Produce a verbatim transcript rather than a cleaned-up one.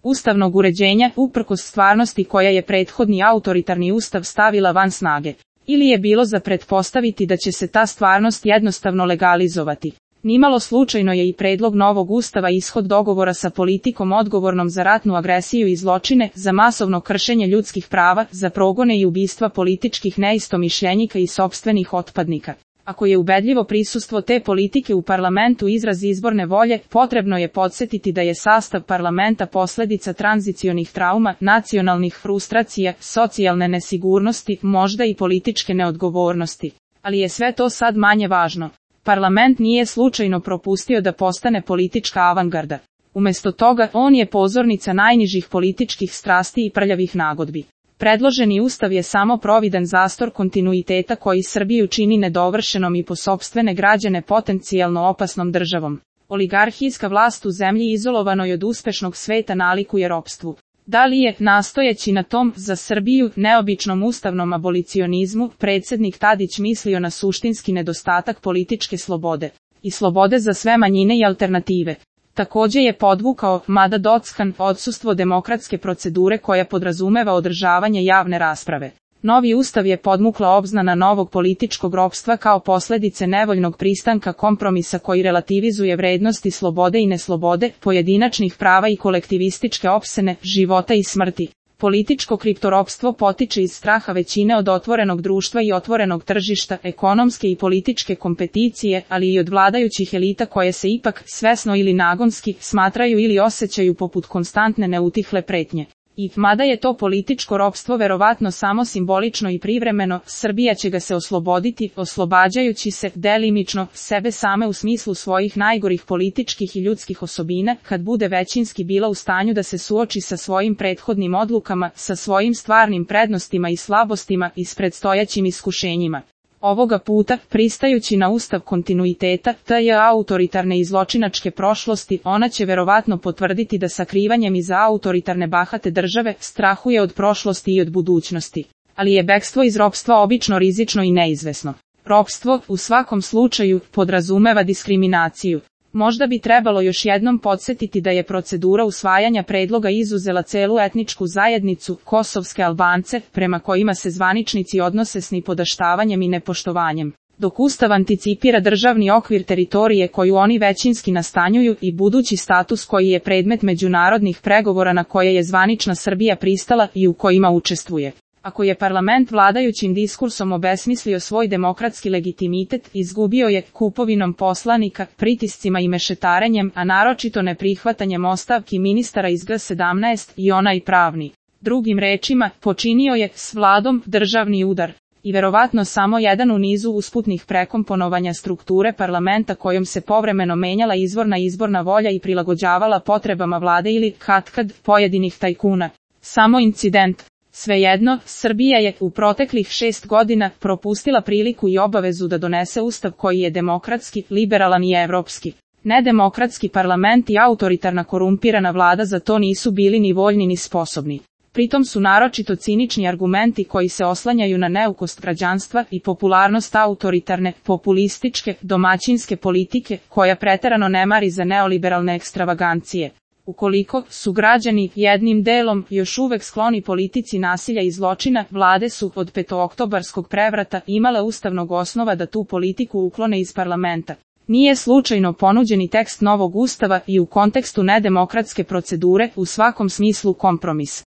ustavnog uređenja, uprkos stvarnosti koja je prethodni autoritarni ustav stavila van snage. Ili je bilo za pretpostaviti da će se ta stvarnost jednostavno legalizovati. Nimalo slučajno je i predlog novog ustava ishod dogovora sa politikom odgovornom za ratnu agresiju i zločine, za masovno kršenje ljudskih prava, za progone i ubistva političkih neistomišljenika i sopstvenih otpadnika. Ako je ubedljivo prisustvo te politike u parlamentu izraz izborne volje, potrebno je podsjetiti da je sastav parlamenta posljedica tranzicionih trauma, nacionalnih frustracija, socijalne nesigurnosti, možda i političke neodgovornosti. Ali je sve to sad manje važno. Parlament nije slučajno propustio da postane politička avangarda. Umjesto toga, on je pozornica najnižih političkih strasti i prljavih nagodbi. Predloženi ustav je samo providan zastor kontinuiteta koji Srbiju čini nedovršenom i po sopstvene građane potencijalno opasnom državom. Oligarhijska vlast u zemlji izolovanoj od uspešnog sveta nalikuje ropstvu. Da li je, nastojeći na tom, za Srbiju, neobičnom ustavnom abolicionizmu, predsjednik Tadić mislio na suštinski nedostatak političke slobode i slobode za sve manjine i alternative? Također je podvukao, mada dockan, odsustvo demokratske procedure koja podrazumeva održavanje javne rasprave. Novi ustav je podmukla obznana novog političkog ropstva kao posljedice nevoljnog pristanka kompromisa koji relativizuje vrednosti slobode i neslobode, pojedinačnih prava i kolektivističke opsene, života i smrti. Političko kriptoropstvo potiče iz straha većine od otvorenog društva i otvorenog tržišta, ekonomske i političke kompeticije, ali i od vladajućih elita koje se ipak, svesno ili nagonski, smatraju ili osjećaju poput konstantne neutihle pretnje. I, mada je to političko ropstvo verovatno samo simbolično i privremeno, Srbija će ga se osloboditi, oslobađajući se, delimično, sebe same u smislu svojih najgorih političkih i ljudskih osobina, kad bude većinski bila u stanju da se suoči sa svojim prethodnim odlukama, sa svojim stvarnim prednostima i slabostima i s predstojećim iskušenjima. Ovoga puta, pristajući na ustav kontinuiteta, te autoritarne i zločinačke prošlosti, ona će verovatno potvrditi da sakrivanjem iza autoritarne bahate države strahuje od prošlosti i od budućnosti. Ali je bekstvo iz ropstva obično rizično i neizvesno. Ropstvo, u svakom slučaju, podrazumeva diskriminaciju. Možda bi trebalo još jednom podsjetiti da je procedura usvajanja predloga izuzela celu etničku zajednicu, kosovske Albance, prema kojima se zvaničnici odnose s nipodaštavanjem i nepoštovanjem. Dok ustav anticipira državni okvir teritorije koju oni većinski nastanjuju i budući status koji je predmet međunarodnih pregovora na koje je zvanična Srbija pristala i u kojima učestvuje. Ako je parlament vladajućim diskursom obesmislio svoj demokratski legitimitet, izgubio je kupovinom poslanika, pritiscima i mešetarenjem, a naročito neprihvatanjem ostavki ministara iz G sedamnaest i onaj pravni. Drugim rečima, počinio je s vladom državni udar. I verovatno samo jedan u nizu usputnih prekomponovanja strukture parlamenta kojom se povremeno menjala izvorna izborna volja i prilagođavala potrebama vlade ili, katkad, pojedinih tajkuna. Samo incident. Svejedno, Srbija je u proteklih šest godina propustila priliku i obavezu da donese ustav koji je demokratski, liberalan i evropski. Nedemokratski parlament i autoritarna korumpirana vlada za to nisu bili ni voljni ni sposobni. Pritom su naročito cinični argumenti koji se oslanjaju na neukost građanstva i popularnost autoritarne, populističke, domaćinske politike, koja preterano ne mari za neoliberalne ekstravagancije. Ukoliko su građani jednim delom još uvek skloni politici nasilja i zločina, vlade su od petooktobarskog prevrata imale ustavnog osnova da tu politiku uklone iz parlamenta. Nije slučajno ponuđeni tekst novog ustava i u kontekstu nedemokratske procedure u svakom smislu kompromis.